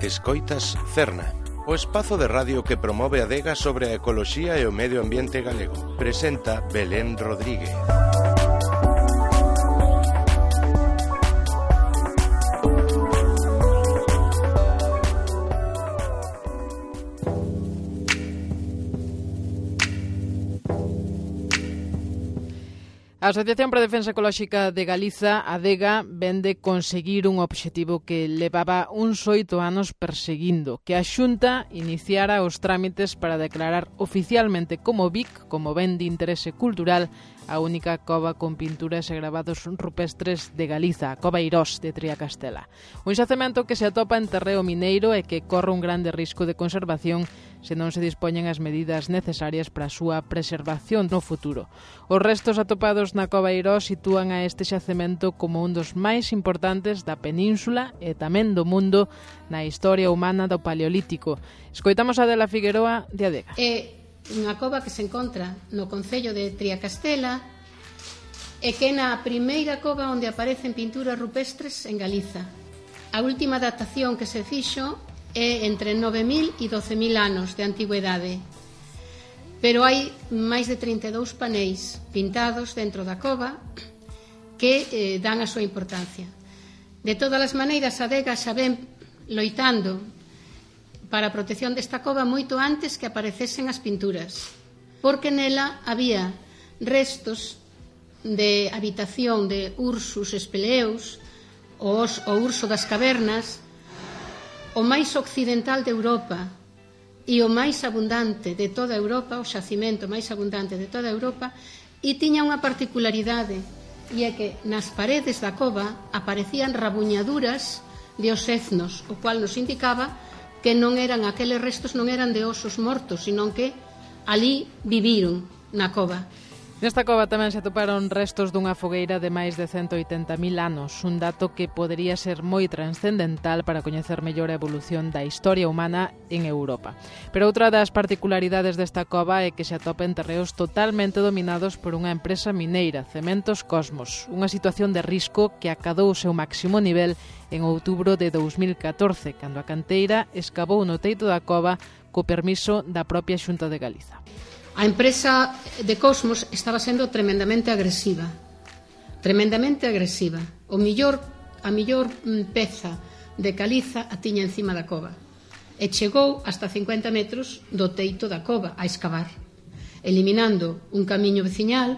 Escoitas Cerna, o espazo de radio que promove a adega sobre a ecoloxía e o medio ambiente galego. Presenta Belén Rodríguez. A Asociación para a Defensa Ecolóxica de Galiza, ADEGA, vén de conseguir un obxectivo que levaba uns 8 anos perseguindo, que a Xunta iniciara os trámites para declarar oficialmente como BIC, como ben de interese cultural, a única cova con pinturas e gravados rupestres de Galiza, a Cova Eirós de Triacastela. Un xacemento que se atopa en terreo mineiro e que corre un grande risco de conservación se non se dispoñen as medidas necesarias para a súa preservación no futuro. Os restos atopados na Cova Eirós sitúan a este xacemento como un dos máis importantes da península e tamén do mundo na historia humana do Paleolítico. Escoitamos a Adela Figueroa de ADEGA. Unha cova que se encontra no concello de Triacastela e que é na primeira cova onde aparecen pinturas rupestres en Galiza. A última datación que se fixo é entre 9.000 e 12.000 anos de antigüedade, pero hai máis de 32 paneis pintados dentro da cova que dan a súa importancia. De todas as maneiras, a ADEGA xa ven loitando para a protección desta cova moito antes que aparecesen as pinturas, porque nela había restos de habitación de ursus espeleus, o urso das cavernas, o máis occidental de Europa e o máis abundante de toda Europa, o xacimento máis abundante de toda Europa, e tiña unha particularidade, e é que nas paredes da cova aparecían rabuñaduras de oseznos, o cual nos indicaba que non eran aqueles restos, non eran de osos mortos, sino que ali viviron na cova. Nesta cova tamén se atoparon restos dunha fogueira de máis de 180.000 anos, un dato que podería ser moi transcendental para coñecer mellor a evolución da historia humana en Europa. Pero outra das particularidades desta cova é que se atopa en terreos totalmente dominados por unha empresa mineira, Cementos Cosmos, unha situación de risco que acadou o seu máximo nivel en outubro de 2014, cando a canteira escavou no teito da cova co permiso da propia Xunta de Galiza. A empresa de Cosmos estaba sendo tremendamente agresiva. A millor peza de caliza a tiña encima da cova. E chegou hasta 50 metros do teito da cova a escavar, eliminando un camiño veciñal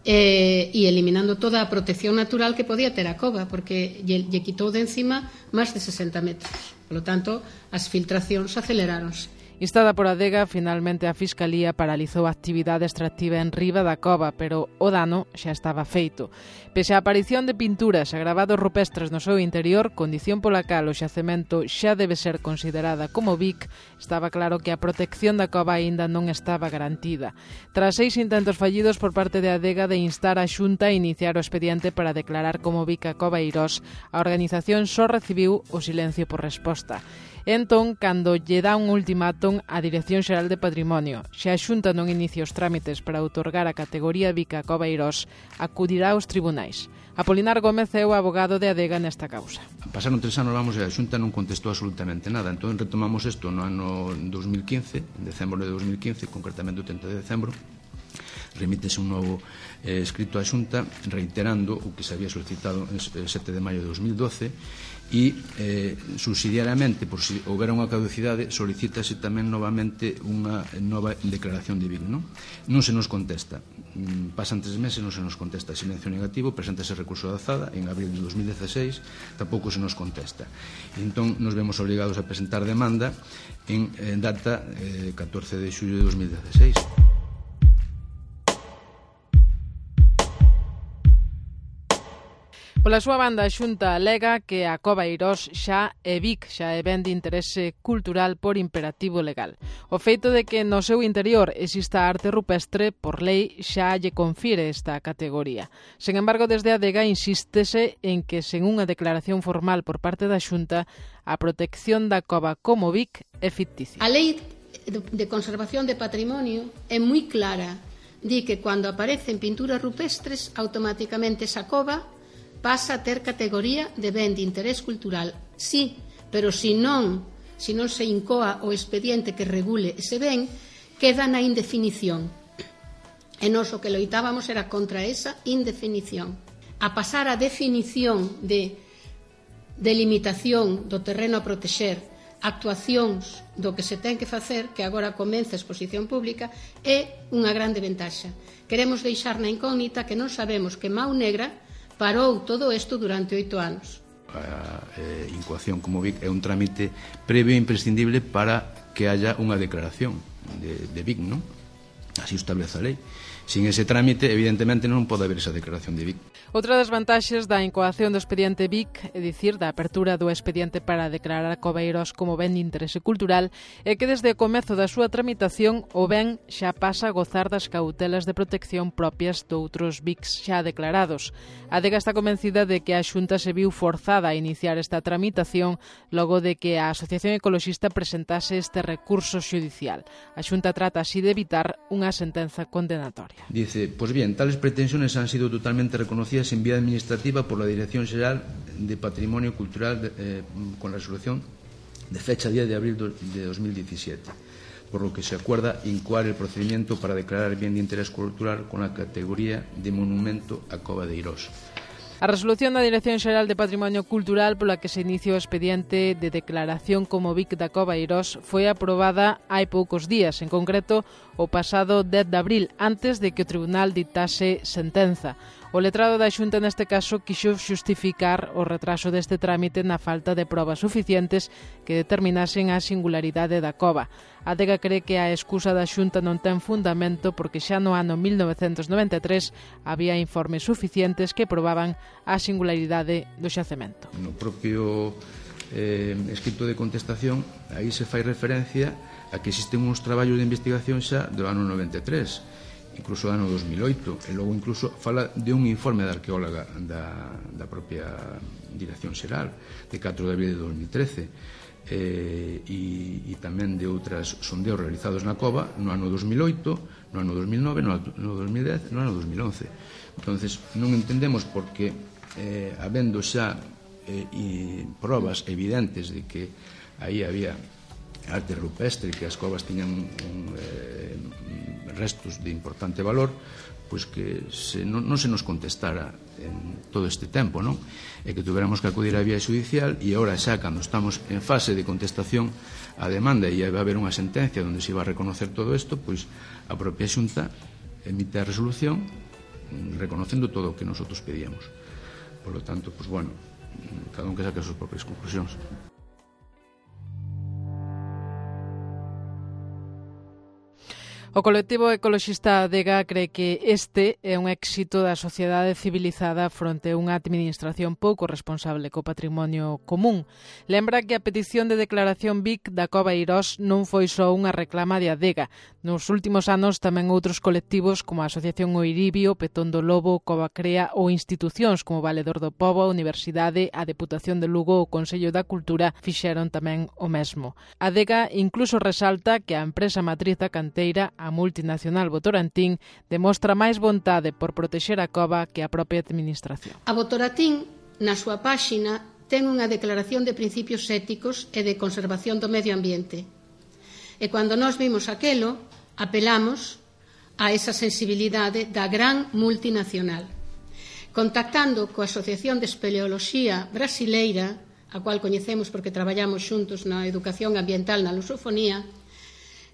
e eliminando toda a protección natural que podía ter a cova, porque lle quitou de encima máis de 60 metros. Por lo tanto, as filtracións aceleráronse. Instada por ADEGA, finalmente a Fiscalía paralizou a actividade extractiva en riba da cova, pero o dano xa estaba feito. Pese á aparición de pinturas e gravados rupestres no seu interior, condición pola cal o xacemento xa debe ser considerada como BIC, estaba claro que a protección da cova aínda non estaba garantida. Tras 6 intentos fallidos por parte de ADEGA de instar a Xunta a iniciar o expediente para declarar como BIC a Cova Eirós, a organización só recibiu o silencio por resposta. Entón, cando lle dá un ultimátum á Dirección Xeral de Patrimonio, se a Xunta non inicia os trámites para outorgar a categoría BIC a Cova Eirós, acudirá aos tribunais. Apolinar Gómez é o abogado de ADEGA nesta causa. Pasaron 3 anos, e a Xunta non contestou absolutamente nada. Entón retomamos isto no ano 2015, en decembro de 2015, concretamente o 30 de decembro, remítese un novo escrito á Xunta reiterando o que se había solicitado el 7 de maio de 2012 e subsidiariamente, por si houbera unha caducidade, solicítase tamén novamente unha nova declaración de BIC. Non se nos contesta, pasan 3 meses, non se nos contesta, silencio negativo, preséntase recurso de alzada en abril de 2016, tampouco se nos contesta. Entón nos vemos obrigados a presentar demanda en data 14 de xullo de 2016. Pola súa banda, a Xunta alega que a Cova Eirós xa é BIC, xa é ben de interese cultural por imperativo legal. O feito de que no seu interior exista arte rupestre, por lei, xa lle confire esta categoría. Sen embargo, desde a ADEGA insístese en que, sen unha declaración formal por parte da Xunta, a protección da cova como BIC é ficticia. A lei de conservación de patrimonio é moi clara. Di que cando aparecen pinturas rupestres, automáticamente esa cova pasa a ter categoría de ben de interés cultural. Sí, pero se non se incoa o expediente que regule ese ben, queda na indefinición. E nós o que loitábamos era contra esa indefinición. A pasar a definición de delimitación do terreno a protexer, actuacións do que se ten que facer, que agora comeza a exposición pública, é unha grande ventaxa. Queremos deixar na incógnita que non sabemos que Mau Negra parou todo isto durante 8 anos. A incoación como BIC é un trámite previo e imprescindible para que haya unha declaración de BIC, non? Así o establece a lei. Sin ese trámite, evidentemente, non pode haber esa declaración de BIC. Outra das vantaxes da incoación do expediente BIC, é dicir, da apertura do expediente para declarar a Cova Eirós como ben de interese cultural, é que desde o comezo da súa tramitación o ben xa pasa a gozar das cautelas de protección propias de outros BICs xa declarados. A Adega está convencida de que a Xunta se viu forzada a iniciar esta tramitación logo de que a Asociación Ecoloxista presentase este recurso xudicial. A Xunta trata así de evitar unha sentenza condenatoria. Dice, pues bien, tales pretensiones han sido totalmente reconocidas en vía administrativa por la Dirección General de Patrimonio Cultural con la resolución de fecha 10 de abril de 2017, por lo que se acuerda incoar el procedimiento para declarar bien de interés cultural con la categoría de monumento a Cova de Eirós. A resolución da Dirección Xeral de Patrimonio Cultural pola que se inicia o expediente de declaración como BIC da Cova Eirós foi aprobada hai poucos días, en concreto o pasado 10 de abril, antes de que o Tribunal dictase sentenza. O letrado da Xunta neste caso quixo xustificar o retraso deste trámite na falta de probas suficientes que determinasen a singularidade da cova. A Adega cree que a excusa da Xunta non ten fundamento porque xa no ano 1993 había informes suficientes que probaban a singularidade do xacemento. No propio escrito de contestación, aí se fai referencia a que existen uns traballos de investigación xa do ano 93, incluso do ano 2008, e logo incluso fala de un informe da arqueóloga da propia Dirección Xeral de 4 de abril de 2013 e tamén de outras sondeos realizados na cova no ano 2008, no ano 2009, no ano 2010, no ano 2011. Entonces non entendemos porque habendo xa probas evidentes de que aí había arte rupestre, que as covas tiñan restos de importante valor, pois que non se nos contestara en todo este tempo, non? E que tuviéramos que acudir á vía judicial, e agora xa, cando estamos en fase de contestación á demanda e vai haber unha sentencia onde se iba a reconocer todo isto, pois a propia Xunta emite a resolución reconocendo todo o que nosotros pedíamos. Por lo tanto, pois bueno, cada un que saque as súas propias conclusións. O colectivo ecoloxista Adega cree que este é un éxito da sociedade civilizada fronte a unha administración pouco responsable co patrimonio común. Lembra que a petición de declaración BIC da Cova Eirós non foi só unha reclama de Adega. Nos últimos anos tamén outros colectivos como a Asociación Oiribio, Petón do Lobo, Cova Crea ou institucións como Valedor do Pobo, a Universidade, a Deputación de Lugo ou o Consello da Cultura fixeron tamén o mesmo. Adega incluso resalta que a empresa matriz da canteira, a multinacional Votorantín, demostra máis vontade por protexer a cova que a propia administración. A Votorantín, na súa páxina, ten unha declaración de principios éticos e de conservación do medio ambiente. E cando nós vimos aquelo, apelamos a esa sensibilidade da gran multinacional. Contactando coa Asociación de Espeleoloxía Brasileira, a cual coñecemos porque traballamos xuntos na educación ambiental na lusofonía,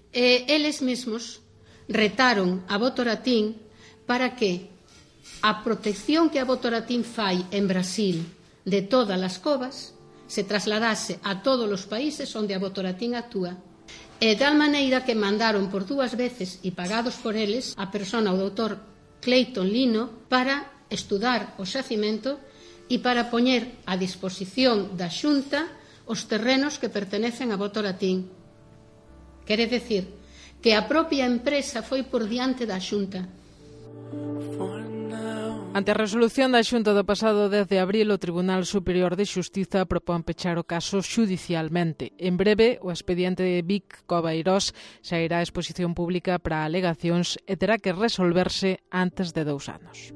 eles mesmos retaron a Votorantín para que a protección que a Votorantín fai en Brasil de todas as covas se trasladase a todos os países onde a Votorantín actúa. E de tal maneira que mandaron por 2 veces e pagados por eles a persona, o doutor Clayton Lino, para estudar o xacimento e para poñer a disposición da Xunta os terrenos que pertenecen a Votorantín. Quere decir que a propia empresa foi por diante da Xunta. Ante a resolución da Xunta do pasado 10 de abril, o Tribunal Superior de Xustiza propón pechar o caso xudicialmente. En breve, o expediente de BIC Cova Eirós xa irá a exposición pública para alegacións e terá que resolverse antes de 2 anos.